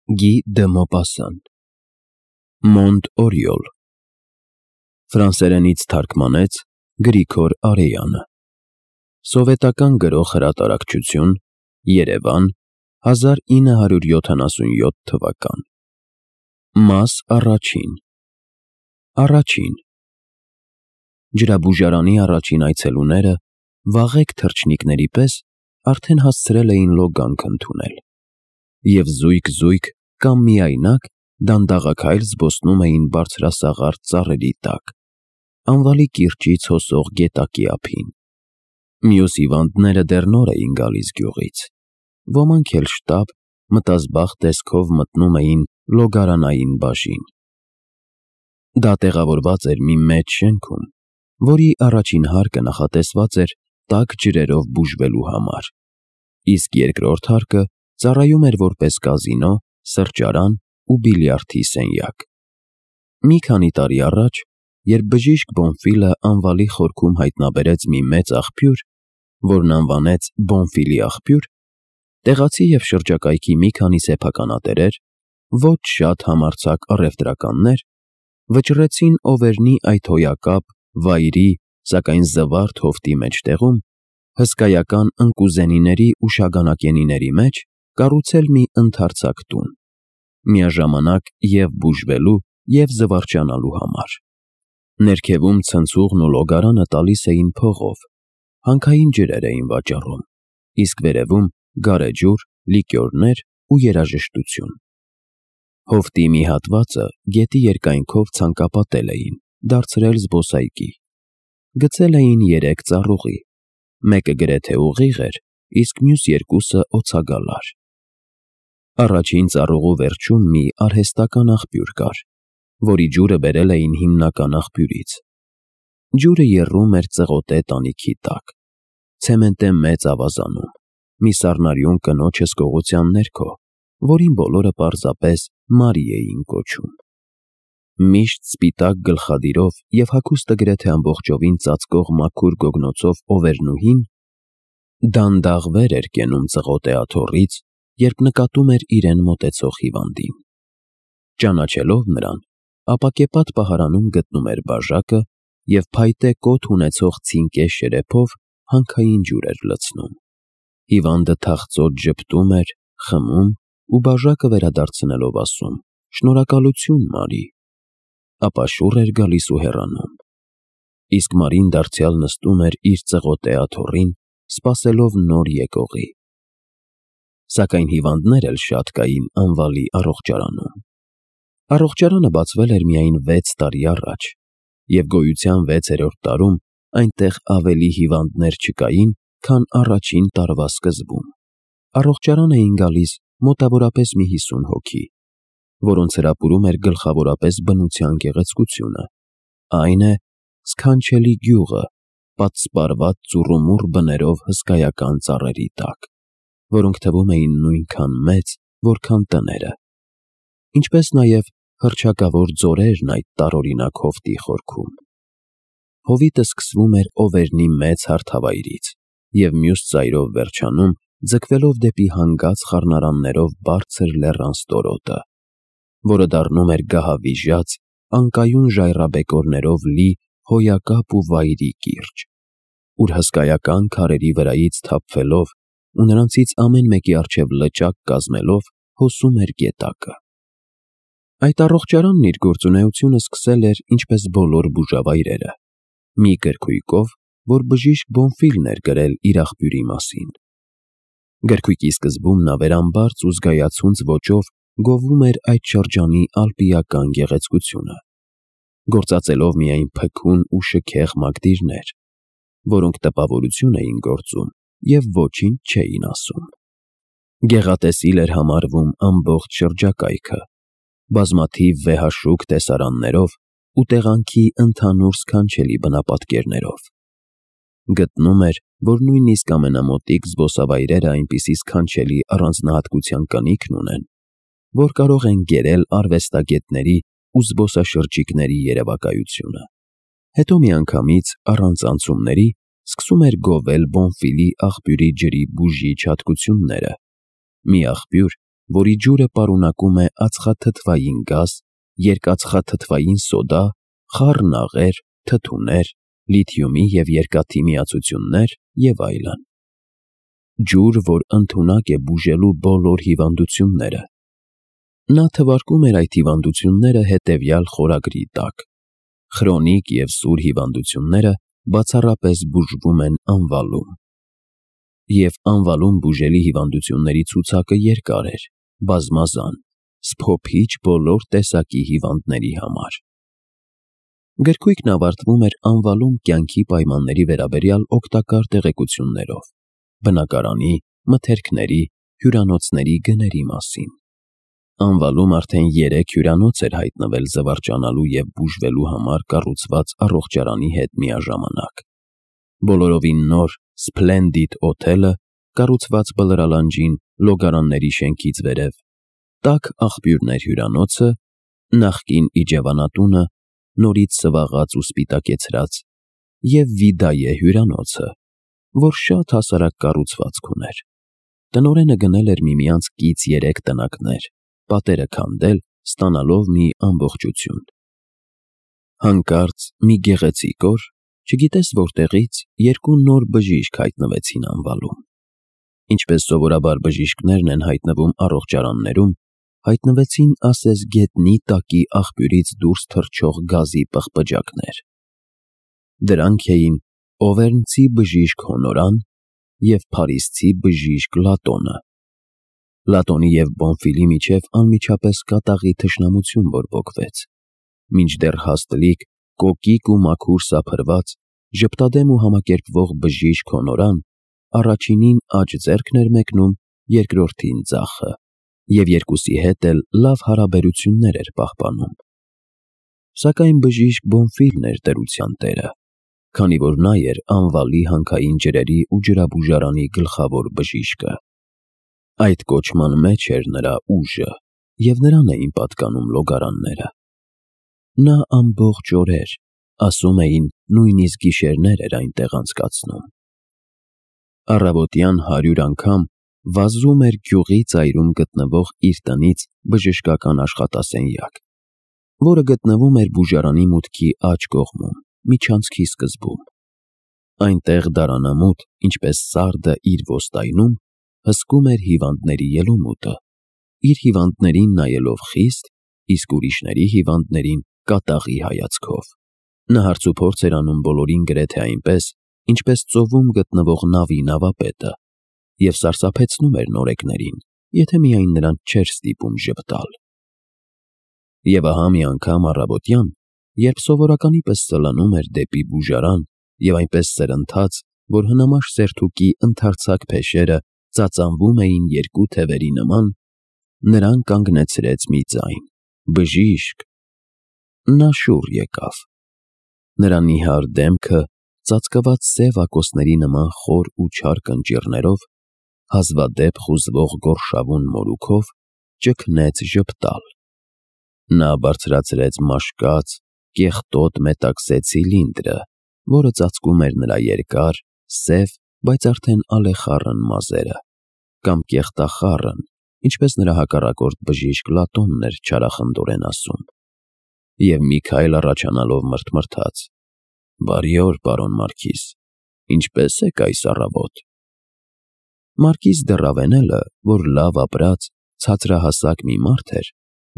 Գի դը Մոպասսան Մոնտ Օրիոլ Ֆրանսերենից թարգմանեց Գրիգոր Արեյանը Սովետական գրող հրատարակչություն Երևան 1977 թվական Մաս առաջին Առաջին Ջրաբուժարանի առաջին այցելուները վաղեկ թռչնիկների պես արդեն հասցրել էին լոգանք ընդունել և զույգ-զույգ կամ միայնակ դանդաղաքայլ զբոսնում էին բարձրասաղարթ ծառերի տակ, անվալի կիրճից հոսող գետակի ափին։ Մյուս հիվանդները դեռ նոր էին գալիս գյուղից, ոմանք էլ շտապ, մտազբաղ տեսքով մտնում էին լոգարանային բաժին։ Դա տեղավորված էր մի մեծ շենքում, որի առաջին հարկը նախատեսված էր տաք ջրերով բուժվելու համար, իսկ երկրորդ հարկը ծառայում էր որպես կազինո, սրճարան ու բիլիարդի սենյակ։ Մի քանի տարի առաջ, երբ բժիշկ Բոնֆիլը անվալի խորքում հայտնաբերեց մի մեծ աղբյուր, որն անվանեց Բոնֆիլի աղբյուր, տեղացի և շրջակայքի մի քանի սեփականատերեր, ոչ շատ համարձակ առևտրականներ, վճռեցին Օվերնի այդ հոյակապ, վայրի, սակայն զվարթ հովտի մեջտեղում, հսկայական ընկուզենիների ու շագանակենիների մեջ կառուցել մի ընդարձակ տուն, միաժամանակ և բուժվելու, և զվարճանալու համար։ Ներքևում ցնցուղն ու լոգարանը տալիս էին փողով, հանքային ջրեր էին վաճառում, իսկ վերևում գարեջուր, լիկյորներ ու երաժշտություն։ Հովտի մի հատվածը գետի երկայնքով ցանկապատել էին, դարձրել զբոսայգի։ Գցել էին 3 ծառուղի, մեկը գրեթե ուղիղ էր, իսկ մյուս երկուսը օձագալար։ Առաջին ծառուղու վերջում մի արհեստական աղբյուր կար, որի ջուրը բերել էին հիմնական աղբյուրից։ Ջուրը եռում էր ծղոտե տանիքի տակ, ցեմենտե մեծ ավազանում, մի սառնարյուն կնոջ հսկողության ներքո, որին բոլորը պարզապես Մարի էին կոչում։ Միշտ սպիտակ գլխադիրով և հագուստը գրեթե ամբողջովին ծածկող մաքուր գոգնոցով Օվերնուհին դանդաղ վեր էր կենում ծղոտե աթոռից, երբ նկատում էր իրեն մոտեցող հիվանդին։ Ճանաչելով նրան, ապակեպատ պահարանում գտնում էր բաժակը և փայտե կոթ ունեցող ցինկե շերեփով հանքային ջուր էր լցնում։ Հիվանդը թախծոտ ժպտում էր, խմում ու բաժակը վերադարձնելով ասում. «Շնորհակալություն, Մարի», ապա շուռ էր գալիս ու հեռանում։ Իսկ Մարին դարձյալ նստում էր իր ծղոտե աթոռին, սպասելով նոր եկողի։ Սակայն հիվանդներ էլ շատ կային անվալի առողջարանում։ Առողջարանը բացվել էր միայն 6 տարի առաջ, և գոյության 6-րդ տարում այնտեղ ավելի հիվանդներ չկային, քան առաջին տարվա սկզբում։ Առողջարան էին գալիս մոտավորապես մի 50 հոգի, որոնց հրապուրում էր գլխավորապես բնության գեղեցկությունը, այն է, սքանչելի գյուղը, պատսպարված ծուռումուռ բներով հսկայական ծառերի տակ, որոնք թվում էին նույնքան մեծ, որքան տները, ինչպես նաև հռչակավոր ձորերն այդ տարօրինակ հովտի խորքում։ Հովիտը սկսվում էր Օվերնի մեծ հարթավայրից և մյուս ծայրով վերջանում, ձգվելով դեպի հանգած խառնարաններով բարձր լեռան ստորոտը, որը դառնում էր գահավիժած, անկայուն ժայռաբեկորներով լի հոյակապ ու վայրի կիրճ, ուր հսկայական քարերի վրայից թափվելով ու նրանցից ամեն մեկի առջև լճակ կազմելով հոսում էր գետակը։ Այդ առողջարանն իր գործունեությունը սկսել էր, ինչպես բոլոր բուժավայրերը, մի գրքույկով, որ բժիշկ Բոնֆիլն էր գրել իր աղբյուրի մասին։ Գրքույկի սկզբում նա վերամբարձ ու զգայացունց ոճով գովում էր այդ շրջանի ալպիական գեղեցկությունը, գործածելով միայն փքուն ու շքեղ մակդիրներ, որոնք տպավորություն էին գործում և ոչինչ չէին ասում։ Գեղատեսիլ էր համարվում ամբողջ շրջակայքը, բազմաթիվ վեհաշուք տեսարաններով ու տեղանքի ընդհանուր սքանչելի բնապատկերներով։ Գտնում էր, որ նույնիսկ ամենամոտիկ զբոսավայրերը այնպիսի սքանչելի առանձնահատկության կնիքն ունեն, որ կարող են գերել արվեստագետների ու զբոսաշրջիկների երևակայությունը։ Հետո միանգամից, առանց անցումների, սկսում էր գովել Բոնֆիլի աղբյուրի ջրի բուժիչ հատկությունները, մի աղբյուր, որի ջուրը պարունակում է ածխաթթվային գազ, երկաթխաթթվային սոդա, խառն աղեր, թթուներ, լիթիումի և երկաթի միացություններ և այլն։ Ջուր, որ ընդունակ է բուժելու բոլոր հիվանդությունները։ Նա թվարկում էր այդ հիվանդությունները հետևյալ խորագրի տակ. խրոնիկ և սուր հիվանդությունները բացառապես բուժվում են անվալում։ Եվ անվալում բուժելի հիվանդությունների ցուցակը երկար էր, բազմազան, սփոփիչ բոլոր տեսակի հիվանդների համար։ Գրքույկն ավարտվում էր անվալում կյանքի պայմանների վերաբերյալ օգտակար տեղեկություններով, բնակարանի, մթերքների, հյուրանոցների գների մասին։ Անվալում արդեն 3 հյուրանոց էր հայտնվել զվարճանալու և բուժվելու համար կառուցված առողջարանի հետ միաժամանակ։ Բոլորովին նոր Splendid օթելը, կառուցված Բլրալանջին Լոգարանների շենքից վերև, Տաք աղբյուրներ հյուրանոցը, նախկին իջևանատունը, նորից սվաղած ու սպիտակեցրած, և Վիդայե հյուրանոցը, որ շատ հասարակ կառուցվածք ուներ։ Տնօրենը գնել էր միմյանց կից 3 տնակներ, պատերը քանդել, ստանալով մի ամբողջություն։ Հանկարծ մի գեղեցիկ օր, չգիտես որտեղից, 2 նոր բժիշկ հայտնվեցին անվալում։ Ինչպես սովորաբար բժիշկներն են հայտնվում առողջարաններում, հայտնվեցին ասես գետնի տակի աղբյուրից դուրս թռչող գազի պղպջակներ։ Դրանք էին օվերնցի բժիշկ Հոնորան և փարիզցի բժիշկ Լատոնը։ Լատոնի և Բոնֆիլի միջև անմիջապես կատաղի թշնամություն բորբոքվեց, մինչդեռ հաստլիկ, կոկիկ ու մաքուր սափրված, ժպտադեմ ու համակերպվող բժիշկ Հոնորան առաջինին աջ ձեռքն էր մեկնում, երկրորդին ձախը, և երկուսի հետ էլ լավ հարաբերություններ էր պահպանում։ Սակայն բժիշկ Բոնֆիլն էր դրության տերը, քանի որ նա էր անվալի հանքային ջրերի ու ջրաբուժարանի գլխավոր բժիշկը։ Այդ կոչման մեջ էր նրա ուժը, և նրան էին պատկանում լոգարանները։ Նա ամբողջ օրեր, ասում էին նույնիսկ գիշերներ էր այնտեղ անցկացնում։ Առավոտյան 100 անգամ վազում էր գյուղի ծայրում գտնվող իր տնից բժշկական աշխատասենյակ, որը գտնվում էր բուժարանի մուտքի աջ կողմում, միջանցքի սկզբում։ Այնտեղ դարանամուտ, ինչպես սարդը իր ոստայնում, հսկում էր հիվանդների ելումուտը, իր հիվանդներին նայելով խիստ, իսկ ուրիշների հիվանդներին կատաղի հայացքով։ Նա հարցուփորձ էր անում բոլորին գրեթե այնպես, ինչպես ծովում գտնվող նավի նավապետը, և սարսափեցնում էր նորեկներին, եթե միայն նրանց չէր ստիպում ժպտալ։ Եվ ահա մի անգամ առավոտյան, երբ սովորականի պես սլանում էր դեպի բուժարան և այնպես սրընթաց, որ հնամաշ սերթուկի ընդարձակ փեշերը ծածանվում էին 2 թևերի նման, նրան կանգնեցրեց մի ձայն. «Բժիշկ»։ Նա շուռ եկավ։ Նրա նիհար դեմքը, ծածկված սև ակոսների նման խոր ու չար կնճիռներով, հազվադեպ խուզվող գորշավուն մորուքով, ճգնեց ժպտալ։ Նա բարձրացրեց մաշկած, կեղտոտ մետաքսե ցիլինդրը, որը ծածկում էր նրա երկար, սև, բայց արդեն ալեխառն մազերը, կամ կեղտախառն, ինչպես նրա հակառակորդ բժիշկ Լատոնն էր չարախնդորեն ասում, և մի քայլ առաջանալով մռթմռթաց. «Բարի օր, պարոն Մարքիզ, ինչպե՞ս եք այս առավոտ»։ Մարքիզ դեռ Ռավենելը, որ լավ ապրած, ցածրահասակ մի մարդ էր,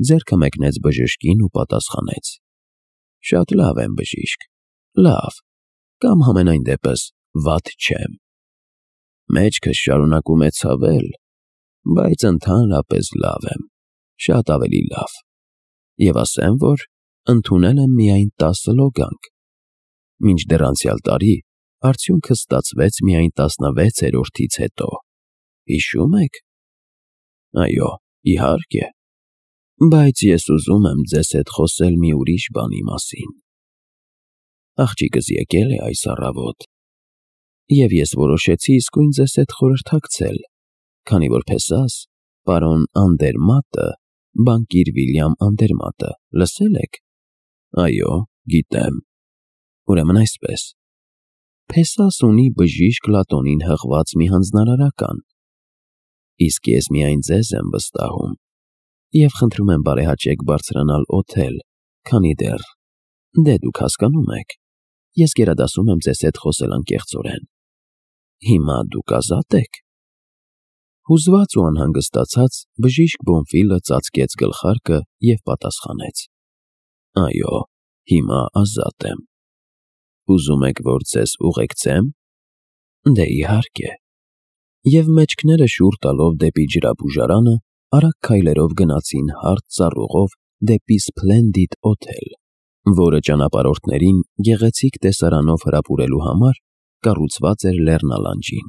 ձեռքը մեկնեց բժշկին ու պատասխանեց. «Շատ լավ եմ, բժիշկ, լավ, կամ համենայն դեպս վատ չեմ։ Մեջքս շարունակում է ցավել, բայց ընդհանրապես լավ եմ, շատ ավելի լավ, և ասեմ, որ ընդունել եմ միայն 10 լոգանք։ Մինչդեռ անցյալ տարի արդյունքս ստացվեց միայն 16-րդից հետո։ Հիշո՞ւմ եք։ Այո, իհարկե, բայց ես ուզում եմ ձեզ հետ խոսել մի ուրիշ բանի մասին։ Աղջիկս եկել է այս առավոտ, և ես որոշեցի իսկույն ձեզ հետ խորհրդակցել, քանի որ փեսաս, պարոն Անդերմատը, բանկիր Վիլյամ Անդերմատը, լսել եք։ Այո, գիտեմ։ Ուրեմն այսպես. Փեսաս ունի բժիշկ Լատոնին հղված մի հանձնարարական, Իսկ ես միայն ձեզ եմ վստահում և խնդրում եմ բարեհաճեք բարձրանալ օթել, քանի դեռ, դե դուք հասկանում եք, ես գերադասում եմ ձեզ հետ խոսել անկեղծորեն։ Հիմա դուք ազատ եք։ Հուզված ու անհանգստացած բժիշկ Բոնֆիլը ծածկեց գլխարկը և պատասխանեց. Այո, հիմա ազատ եմ։ Ուզում եք, որ ձեզ ուղեկցեմ։ Դե իհարկե։ Եվ մեջքները շուռ տալով դեպի ջրաբուժարանը, արագ քայլերով գնացին հարթ ծառուղով դեպի Սփլենդիդ օթել, որը ճանապարհորդներին գեղեցիկ տեսարանով հրապուրելու համար կառուցված էր լեռնալանջին։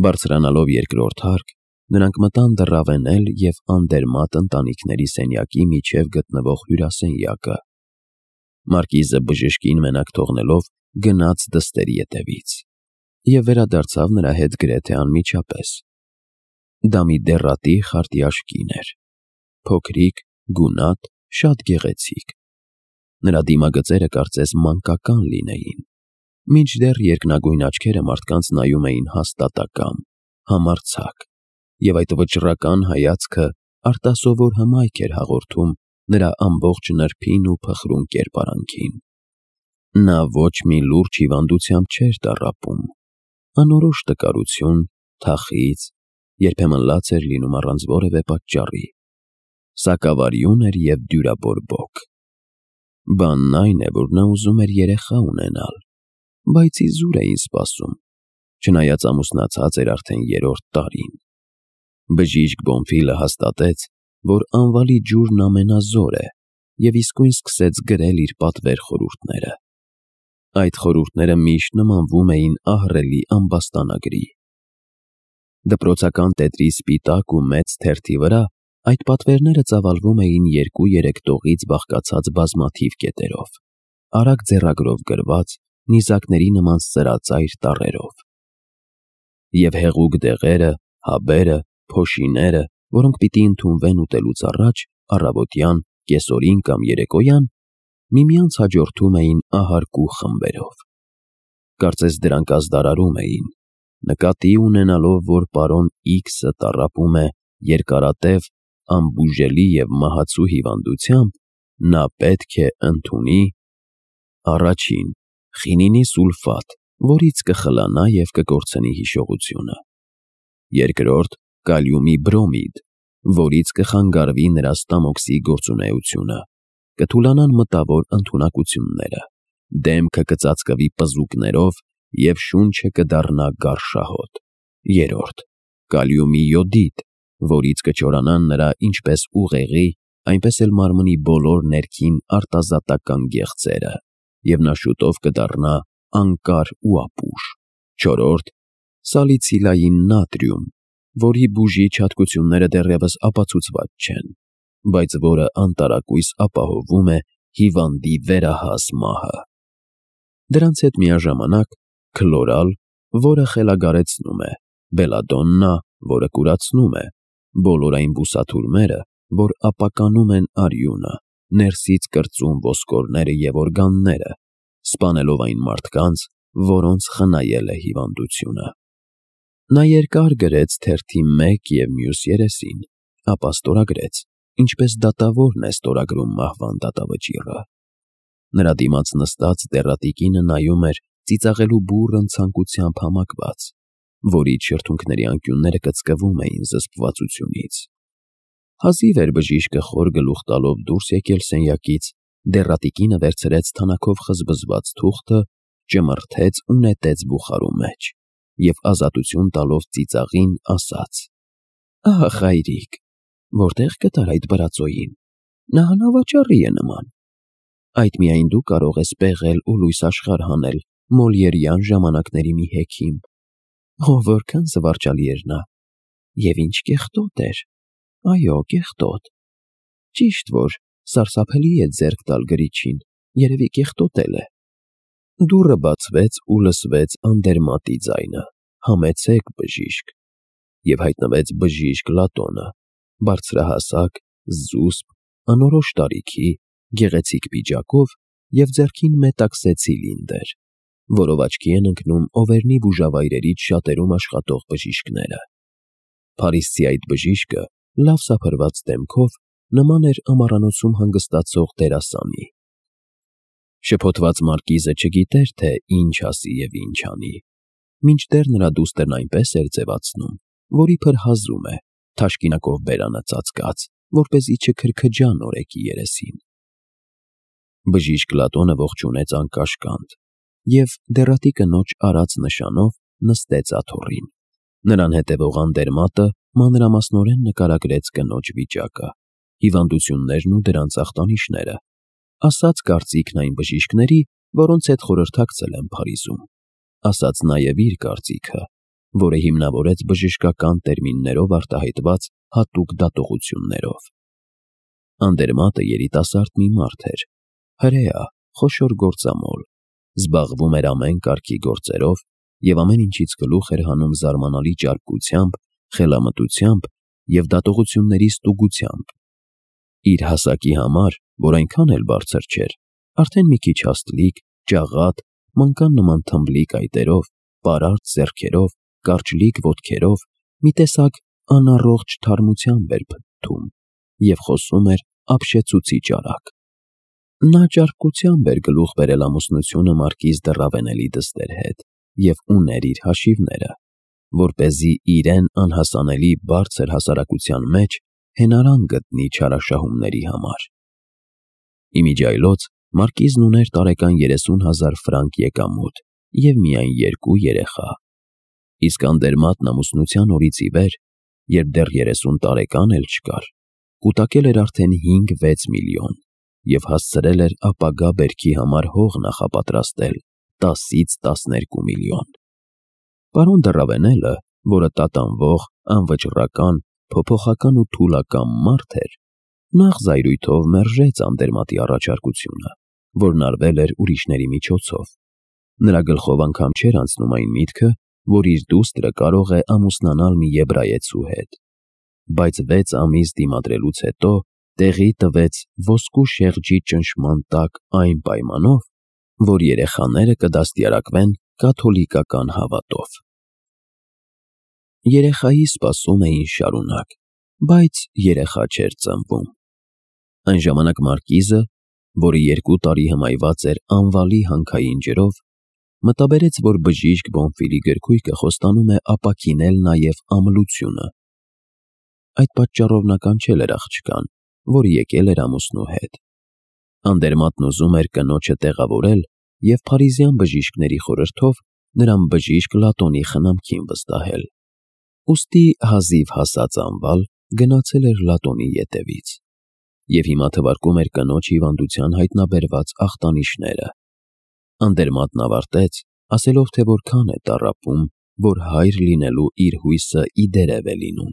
Բարձրանալով երկրորդ հարկ, նրանք մտան դռավենել և անդերմատ ընտանիքների սենյակի միջև գտնվող հյուրասենյակը։ Մարկիզը բժշկին մենակ թողնելով գնաց դստերի ետևից և վերադարձավ նրա հետ գրեթե անմիջապես։ Դա մի դեռատի խարտյաշ կին էր, փոքրիկ, գունատ, շատ գեղեցիկ։ Նրա դիմագծերը կարծես մանկական լինեին, մինչդեռ երկնագույն աչքերը մարդկանց նայում էին հաստատակամ, համարձակ, և այդ վճռական հայացքը արտասովոր հմայք էր հաղորդում նրա ամբողջ նրբին ու փխրուն կերպարանքին։ Նա ոչ մի լուրջ հիվանդությամբ չէր տառապում, անորոշ տկարություն, թախիծ, երբեմն լաց էր լինում առանց որևէ պատճառի, սակավարյուն էր և դյուրաբորբոք։ Բանն այն է, որ նա ուզում էր երեխա ունենալ, բայց իզուր էին սպասում, չնայած ամուսնացած էր արդեն 3-րդ տարին։ Բժիշկ Բոնֆիլը հաստատեց, որ անվալի ջուրն ամենազոր է, և իսկույն սկսեց գրել իր պատվեր խորհուրդները։ Այդ խորհուրդները միշտ նմանվում էին ահռելի ամբաստանագրի։ Դպրոցական տետրի սպիտակ ու մեծ թերթի վրա այդ պատվերները ծավալվում էին 2-3 տողից բաղկացած բազմաթիվ կետերով, արագ ձեռագրով գրված, նիզակների նման սրածայր տառերով։ Եվ հեղուկ դեղերը, հաբերը, փոշիները, որոնք պիտի ընդունվեն ուտելուց առաջ, առավոտյան, կեսօրին կամ երեկոյան, միմյանց հաջորդում էին ահարկու խմբերով։ Կարծես դրանք ազդարարում էին, նկատի ունենալով, որ պարոն X-ը տառապում է երկարատև, անբուժելի և մահացու հիվանդությամբ, նա պետք է ընդունի առաջին՝ խինինի սուլֆատ, որից կխլանա և կկորցնի հիշողությունը, երկրորդ՝ կալիումի բրոմիդ, որից կխանգարվի նրա ստամոքսի գործունեությունը, կթուլանան մտավոր ընդունակությունները, դեմքը կծածկվի պզուկներով և շունչը կդառնա գարշահոտ, երրորդ՝ կալիումի յոդիդ, որից կչորանան նրա ինչպես ուղեղի, այնպես էլ մարմնի բոլոր ներքին արտազատական գեղձերը, և նա շուտով կդառնա անկար ու ապուշ, չորրորդ՝ սալիցիլային նատրիում, որի բուժիչ հատկությունները դեռևս ապացուցված չեն, բայց որը անտարակույս ապահովում է հիվանդի վերահաս մահը։ Դրանց հետ միաժամանակ քլորալ, որը խելագարեցնում է, բելադոննա, որը կուրացնում է, բոլոր այն բուսաթուրմերը, որ ապականում են արյունը, ներսից կրծում ոսկորները և օրգանները, սպանելով այն մարդկանց, որոնց խնայել է հիվանդությունը։ Նա երկար գրեց թերթի մեկ և մյուս երեսին, ապա ստորագրեց, ինչպես դատավորն է ստորագրում մահվան դատավճիռը։ Նրա դիմաց նստած դեռատի կինը նայում էր ծիծաղելու բուռն ցանկությամբ համակված, որից շրթունքների անկյունները կծկվում էին զսպվածությունից։ Հազիվ էր բժիշկը խոր գլուխ տալով դուրս եկել սենյակից, դեռատի կինը վերցրեց թանաքով խզբզված թուղթը, ճմրթեց ու նետեց բուխարու մեջ և ազատություն տալով ծիծաղին ասաց. «Ահ, հայրիկ, որտե՞ղ գտար այդ բրածոյին, նա անավաճառի է նման։ Այդ միայն դու կարող ես պեղել ու լույս աշխարհ հանել մոլիերյան ժամանակների մի հեքիմ։ Ո՜վ, որքան զվարճալի էր նա, և ինչ կեղտոտ էր, այո, կեղտոտ։ Ճիշտ որ սարսափելի է ձեռք տալ գրիչին, երևի կեղտոտել է»։ Դուռը բացվեց ու լսվեց անդերմատի ձայնը. «Համեցեք, բժիշկ», և հայտնվեց բժիշկ Լատոնը, բարձրահասակ, զուսպ, անորոշ տարիքի, գեղեցիկ պիջակով և ձեռքին մետաքսե ցիլինդր, որով աչքի են ընկնում Օվերնի բուժավայրերից շատերում աշխատող բժիշկները։ Փարիսցի այդ բժիշկը լավ սափրված դեմքով նման էր ամառանոցում հանգստացող դերասանի։ Շփոթված մարկիզը չգիտեր, թե ինչ ասի և ինչ անի, մինչդեռ նրա դուստրն այնպես էր ձևացնում, որ իբր հազում է, թաշկինակով բերանը ծածկած, որպեսզի չքրքջա նորեկի երեսին։ Բժիշկ Լատոնը ողջունեց անկաշկանդ և դեռատի կնոջ արած նշանով նստեց աթոռին։ Նրան հետևող անդերմատը մանրամասնորեն նկարագրեց կնոջ վիճակը, հիվանդություններն ու դրանց ախտանիշները, ասաց կարծիքն այն բժիշկների, որոնց հետ խորհրդակցել են Փարիզում, ասաց նաև իր կարծիքը, որը հիմնավորեց բժշկական տերմիններով արտահայտված հատուկ դատողություններով։ Անդերմատը երիտասարդ մի մարդ էր, հրեա, խոշոր գործամոլ, զբաղվում էր ամեն կարգի գործերով և ամեն ինչից գլուխ էր հանում զարմանալի ճարպկությամբ, խելամտությամբ և դատողությունների ստուգությամբ։ Իր հասակի համար, որ այնքան էլ բարձր չէր, արդեն մի քիչ հաստլիկ, ջաղատ, մանկան նման թմբլիկ այտերով, պարարտ ձեռքերով, կարճլիկ ոտքերով, մի տեսակ անառողջ թարմությամբ էր փթթում և խոսում էր ապշեցուցիչ արագ։ Նա ճարպկությամբ էր գլուխ բերել ամուսնությունը մարկիզ դը Ռավենելի դստեր հետ և ուներ իր հաշիվները, որպեսզի իրեն անհասանելի բարձր հասարակության մեջ հենարան գտնի չարաշահումների համար։ Իմիջիայլոց մարկիզն ուներ տարեկան 30,000 ֆրանկ եկամուտ և միայն 2 երեխա, իսկ անդերմատն ամուսնության օրից ի վեր, երբ դեռ 30 տարեկան էլ չկար, կուտակել էր արդեն 5-6 միլիոն և հասցրել էր ապագա բերքի համար հող նախապատրաստել 10-ից 12 միլիոն։ Պարոն դը Ռավենելը, որը տատանվող, անվճռական, փոփոխական ու թուլակամ մարդ էր, նախ զայրույթով մերժեց անդերմատի առաջարկությունը, որն արվել էր ուրիշների միջոցով։ Նրա գլխով անգամ չէր անցնում այն միտքը, որ իր դուստրը կարող է ամուսնանալ մի եբրայեցու հետ, բայց 6 ամիս դիմադրելուց հետո տեղի տվեց ոսկու շեղջի ճնշման տակ այն պայմանով, որ երեխաները կդաստիարակվեն կաթոլիկական հավատով։ Երեխայի սպասում էին շարունակ, բայց երեխա չէր ծնվում։ Այն ժամանակ մարկիզը, որը 2 տարի հմայված էր անվալի հանքային ջրով, մտաբերեց, որ բժիշկ Բոնֆիլի գրքույկը խոստանում է ապաքինել նաև ամլությունը։ Այդ պատճառով նա կանչել էր աղջկան, որը եկել էր ամուսնու հետ։ Անդերմատն ուզում էր կնոջը տեղավորել և փարիզյան բժիշկների խորհրդով նրան բժիշկ Լատոնի խնամքին վստահել։ Ուստի հազիվ հասած անվալ գնացել էր Լատոնի ետևից և հիմա թվարկում էր կնոջ հիվանդության հայտնաբերված ախտանիշները։ Անդերմատն ավարտեց, ասելով, թե որքան է տառապում, որ հայր լինելու իր հույսը ի դերև է լինում։